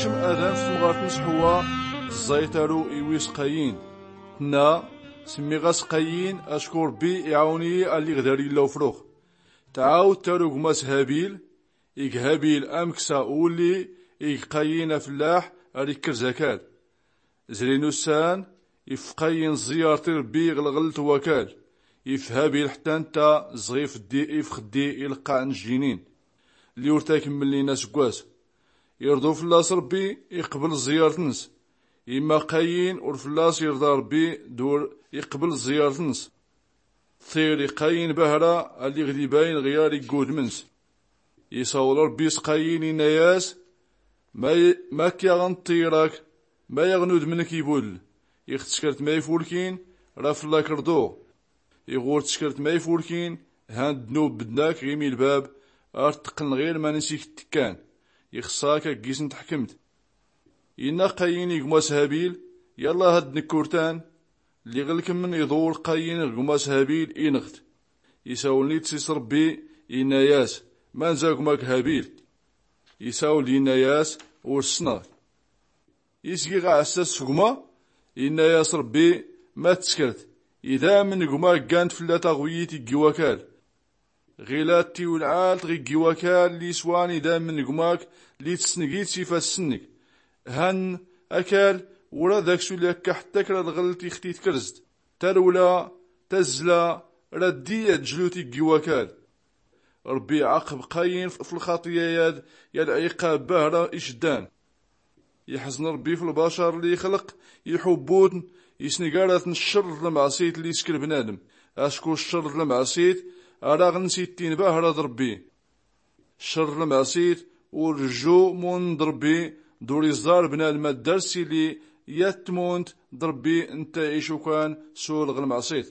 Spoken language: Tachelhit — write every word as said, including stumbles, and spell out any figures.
Adem s-temɣart n-s-ḥewwa tẓẓay taru i-wis qayin. Tnna, s-mmiɣ-as qayin acku rbbi iɛawn-iyi alliɣ dar-illa ufrux. Tɛawd taru gma-s habil. Ig habil amksa ulli ig qayin afellaḥ, ar-ikkr zakal. Zrin ussan, if qayin ẓẓiyart i-rbbi ɣ-lɣelt wakal. If habil ḥtta ntta ẓɣ-ifddi ifxddi i-lqaɛ n-jjinin lli ur-takmmlnin asggwas. Irḍu fell-as rbbi, iqbl ẓẓiyart-ns. Imma qayin ur fell-as irḍa rbbi d-ur iqbl ẓẓiyart-ns. Ṭṭir i-qayin bahra alliɣ d-ibayn ɣyar igg-udm-ns. Isawl rbbi s-qayin inna-yas, ma-k yaɣn ṭṭir-ak? Ma yaɣn udm-nk ibul? Iɣ-tskrt ma ifulkin, ra fell-ak rḍuɣ. Iɣ-ur-tskrt ma ifulkin, han ddnub bdn-ak ɣ-imi lbab, ar-tqqln ɣir ma-ns-ik-ttikkan. Ixṣṣa-k agg-isn-tḥkmt. Inna qayin i-gma-s habil, yallah ad-dnk urtan. Lliɣ lkmn iḍul qayin ɣ-gma-s habil inɣ-t. Isawl-nit s-is rbbi, inna-yas, man-za gma-k habil? Isawl inna-yas, ur-ssnɣ. Isgiɣ aɛssas s-gma? Inna-yas rbbi, ma-tskrt, idamn n-gma-k ggan-t flla taɣwyit igg-iwakal. Ɣila tiwlɛalt ɣ-igg-iwakal lli-swan idamn n-gma-k, lli-tsngi-t s-ifass-nnk. Han akal, ur-ad-ak-sulli akka ḥtta kra lɣlt ix-t-itkrzt. Tarwla, tazzla, ra-ddi-yad jlut igg-iwakal. Rbbi iɛaqb qayin f-lxaṭya-yad, ya lɛiqab bahra icddan. Iḥẓn rbbi f-lbacar lli ixlq, iḥubb-utn, isngarat-n ccer d-lmɛṣit lli iskr bnadm. Acku ccer d-lmɛṣit, ar-aɣ-ns-ittin bahra d-rbbi. Ccer d-lmɛṣit, ur-rju mund d-rbbi, d-ur-iẓẓar bnadm ad-dars illi yat-tmund d-rbbi ntta icukan s-ulɣ lmɛṣit.